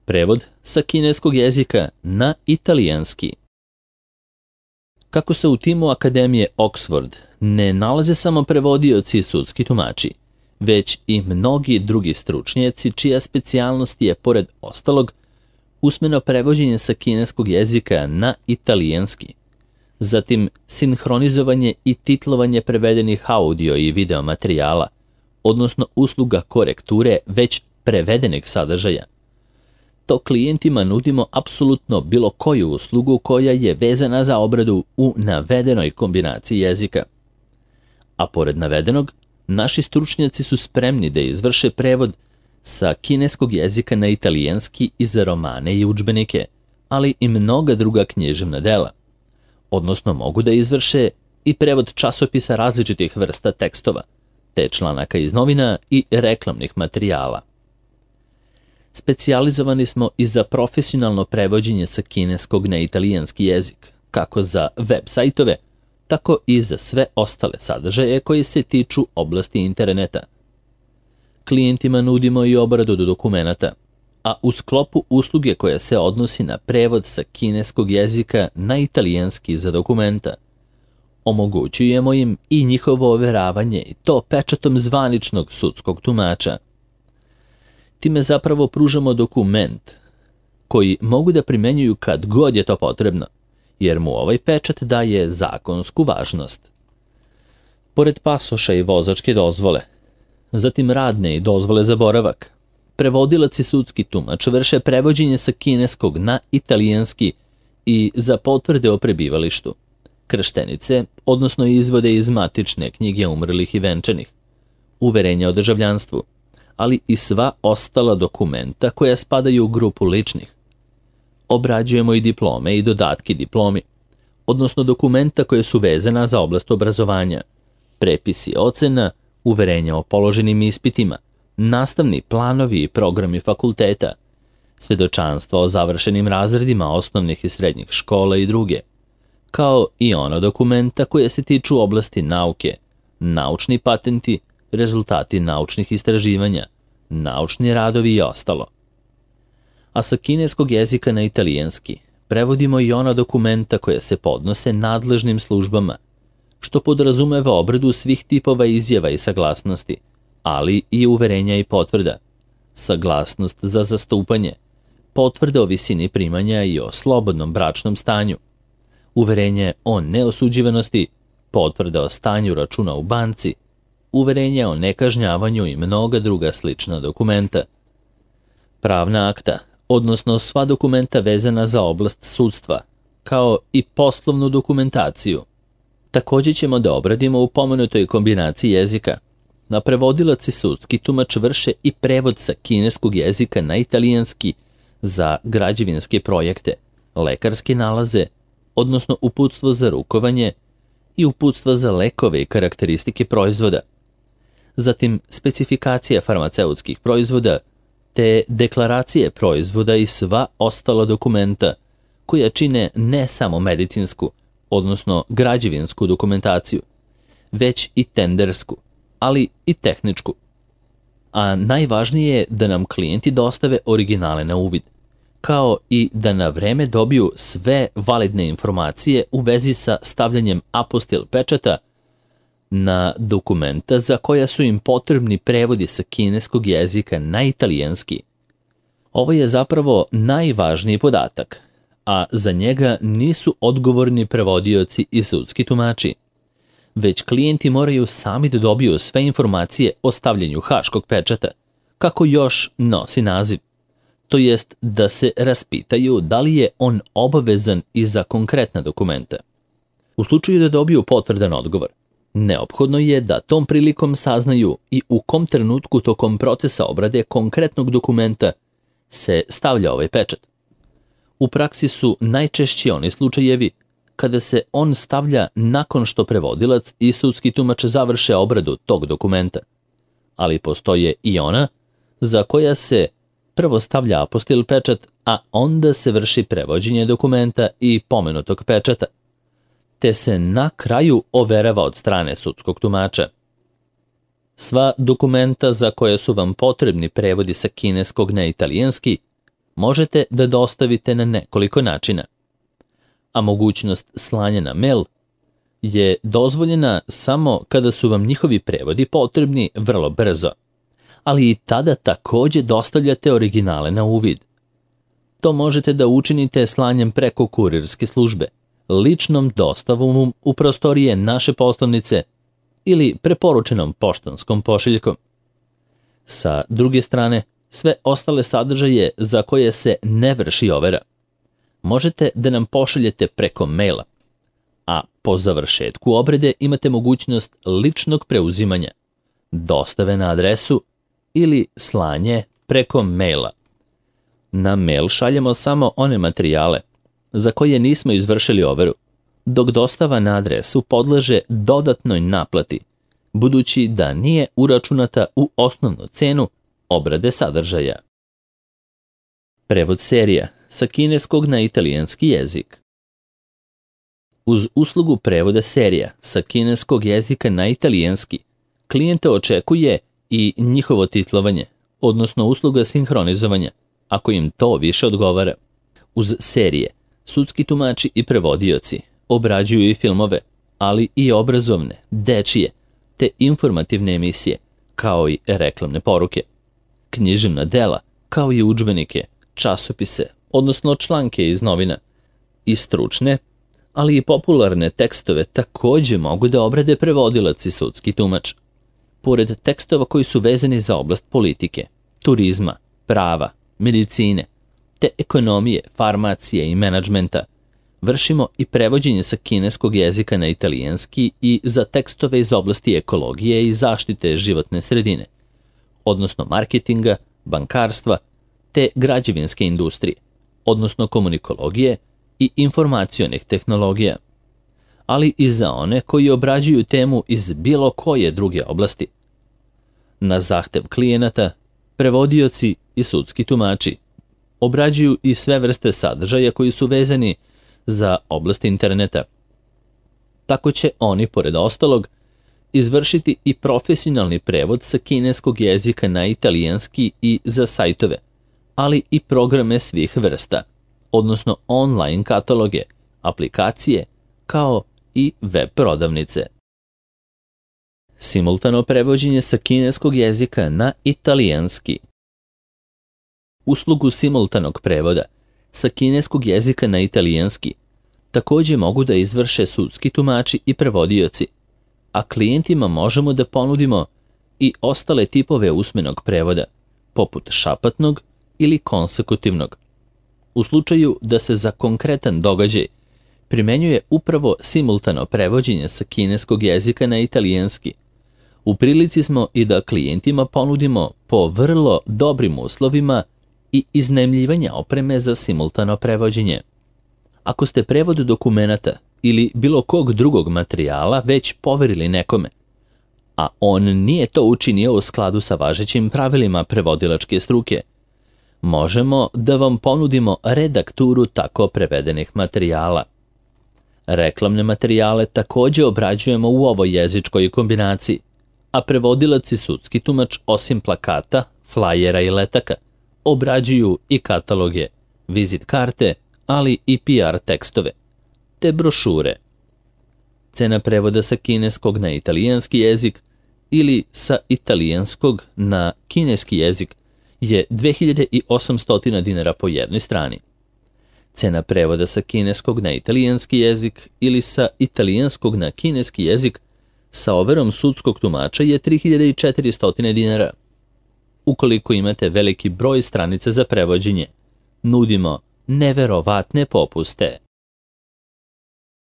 Prevod sa kineskog jezika na italijanski. Kako se u timu Akademije Oxford ne nalaze samo prevodioci i sudski tumači, već i mnogi drugi stručnjaci čija specijalnost je, pored ostalog, usmeno prevođenje sa kineskog jezika na italijanski, zatim sinhronizovanje i titlovanje prevedenih audio i video materijala, odnosno usluga korekture već prevedenih sadržaja. To klijentima nudimo apsolutno bilo koju uslugu koja je vezana za obradu u navedenoj kombinaciji jezika. A pored navedenog, naši stručnjaci su spremni da izvrše prevod sa kineskog jezika na italijanski i za romane i udžbenike, ali i mnoga druga književna dela. Odnosno mogu da izvrše i prevod časopisa različitih vrsta tekstova, te članaka iz novina i reklamnih materijala. Specijalizovani smo i za profesionalno prevođenje sa kineskog na italijanski jezik, kako za web sajtove, tako i za sve ostale sadržaje koji se tiču oblasti interneta. Klijentima nudimo i obradu dokumenata, a u sklopu usluge koja se odnosi na prevod sa kineskog jezika na italijanski za dokumenta, omogućujemo im i njihovo overavanje i to pečatom zvaničnog sudskog tumača. Time zapravo pružamo dokument koji mogu da primenjuju kad god je to potrebno, jer mu ovaj pečat daje zakonsku važnost. Pored pasoša i vozačke dozvole, zatim radne i dozvole za boravak, prevodilac i sudski tumač vrše prevođenje sa kineskog na italijanski i za potvrde o prebivalištu, krštenice, odnosno izvode iz matične knjige umrlih i venčanih, uverenja o državljanstvu, ali i sva ostala dokumenta koja spadaju u grupu ličnih. Obrađujemo i diplome i dodatki diplomi, odnosno dokumenta koje su vezana za oblast obrazovanja, prepisi ocena, uverenja o položenim ispitima, nastavni planovi i programi fakulteta, svedočanstva o završenim razredima osnovnih i srednjih škola i druge, kao i ona dokumenta koje se tiču oblasti nauke, naučni patenti, rezultati naučnih istraživanja, naučni radovi i ostalo. A sa kineskog jezika na italijanski prevodimo i ona dokumenta koja se podnose nadležnim službama, što podrazumeva obradu svih tipova izjava i saglasnosti, ali i uverenja i potvrda, saglasnost za zastupanje, potvrda o visini primanja i o slobodnom bračnom stanju, uverenje o neosuđivanosti, potvrda o stanju računa u banci, uverenja o nekažnjavanju i mnoga druga slična dokumenta. Pravna akta, odnosno sva dokumenta vezana za oblast sudstva, kao i poslovnu dokumentaciju. Također ćemo da obradimo u pomenutoj kombinaciji jezika. Na prevodilac i sudski tumač vrše i prevod sa kineskog jezika na italijanski za građevinske projekte, lekarske nalaze, odnosno uputstvo za rukovanje i uputstva za lekove i karakteristike proizvoda. Zatim specifikacija farmaceutskih proizvoda, te deklaracije proizvoda i sva ostala dokumenta koja čine ne samo medicinsku, odnosno građevinsku dokumentaciju, već i tendersku, ali i tehničku. A najvažnije je da nam klijenti dostave originale na uvid, kao i da na vreme dobiju sve validne informacije u vezi sa stavljanjem apostil pečata na dokumenta za koja su im potrebni prevodi sa kineskog jezika na italijanski. Ovo je zapravo najvažniji podatak, a za njega nisu odgovorni prevodioci i sudski tumači, već klijenti moraju sami da dobiju sve informacije o stavljanju haškog pečata, kako još nosi naziv, to jest da se raspitaju da li je on obavezan i za konkretna dokumenta. U slučaju da dobiju potvrdan odgovor, neophodno je da tom prilikom saznaju i u kom trenutku tokom procesa obrade konkretnog dokumenta se stavlja ovaj pečat. U praksi su najčešći oni slučajevi kada se on stavlja nakon što prevodilac i sudski tumač završe obradu tog dokumenta, ali postoje i ona za koja se prvo stavlja apostil pečat, a onda se vrši prevođenje dokumenta i pomenutog pečata, te se na kraju overava od strane sudskog tumača. Sva dokumenta za koje su vam potrebni prevodi sa kineskog na italijanski možete da dostavite na nekoliko načina, a mogućnost slanja na mail je dozvoljena samo kada su vam njihovi prevodi potrebni vrlo brzo, ali i tada takođe dostavljate originale na uvid. To možete da učinite slanjem preko kurirske službe, ličnom dostavom u prostorije naše poslovnice ili preporučenom poštanskom pošiljkom. Sa druge strane, sve ostale sadržaje za koje se ne vrši overa možete da nam pošaljete preko maila, a po završetku obrade imate mogućnost ličnog preuzimanja, dostave na adresu ili slanje preko maila. Na mail šaljemo samo one materijale za koje nismo izvršili overu, dok dostava na adresu podleže dodatnoj naplati, budući da nije uračunata u osnovnu cenu obrade sadržaja. Prevod serija sa kineskog na italijanski jezik. Uz uslugu prevoda serija sa kineskog jezika na italijanski, klijente očekuje i njihovo titlovanje, odnosno usluga sinhronizovanja, ako im to više odgovara. Uz serije, sudski tumači i prevodioci obrađuju i filmove, ali i obrazovne, dečije, te informativne emisije, kao i reklamne poruke, književna dela, kao i udžbenike, časopise, odnosno članke iz novina, i stručne, ali i popularne tekstove takođe mogu da obrade prevodilac i sudski tumač. Pored tekstova koji su vezani za oblast politike, turizma, prava, medicine, te ekonomije, farmacije i menadžmenta, vršimo i prevođenje sa kineskog jezika na italijanski i za tekstove iz oblasti ekologije i zaštite životne sredine, odnosno marketinga, bankarstva, te građevinske industrije, odnosno komunikologije i informacionih tehnologija, ali i za one koji obrađuju temu iz bilo koje druge oblasti. Na zahtev klijenata, prevodioci i sudski tumači obrađuju i sve vrste sadržaja koji su vezani za oblast interneta. Tako će oni, pored ostalog, izvršiti i profesionalni prevod sa kineskog jezika na italijanski i za sajtove, ali i programe svih vrsta, odnosno online kataloge, aplikacije, kao i web prodavnice. Simultano prevođenje sa kineskog jezika na italijanski. Uslugu simultanog prevoda sa kineskog jezika na italijanski takođe mogu da izvrše sudski tumači i prevodioci, a klijentima možemo da ponudimo i ostale tipove usmenog prevoda, poput šapatnog ili konsekutivnog. U slučaju da se za konkretan događaj primenjuje upravo simultano prevođenje sa kineskog jezika na italijanski, u prilici smo i da klijentima ponudimo po vrlo dobrim uslovima i iznajmljivanja opreme za simultano prevođenje. Ako ste prevod dokumenata ili bilo kog drugog materijala već poverili nekome, a on nije to učinio u skladu sa važećim pravilima prevodilačke struke, možemo da vam ponudimo redakturu tako prevedenih materijala. Reklamne materijale takođe obrađujemo u ovoj jezičkoj kombinaciji, a prevodilac i sudski tumač osim plakata, flajera i letaka obrađuju i kataloge, vizit karte, ali i PR tekstove, te brošure. Cena prevoda sa kineskog na italijanski jezik ili sa italijanskog na kineski jezik je 2800 dinara po jednoj strani. Cena prevoda sa kineskog na italijanski jezik ili sa italijanskog na kineski jezik sa overom sudskog tumača je 3400 dinara. Ukoliko imate veliki broj stranica za prevođenje, nudimo neverovatne popuste.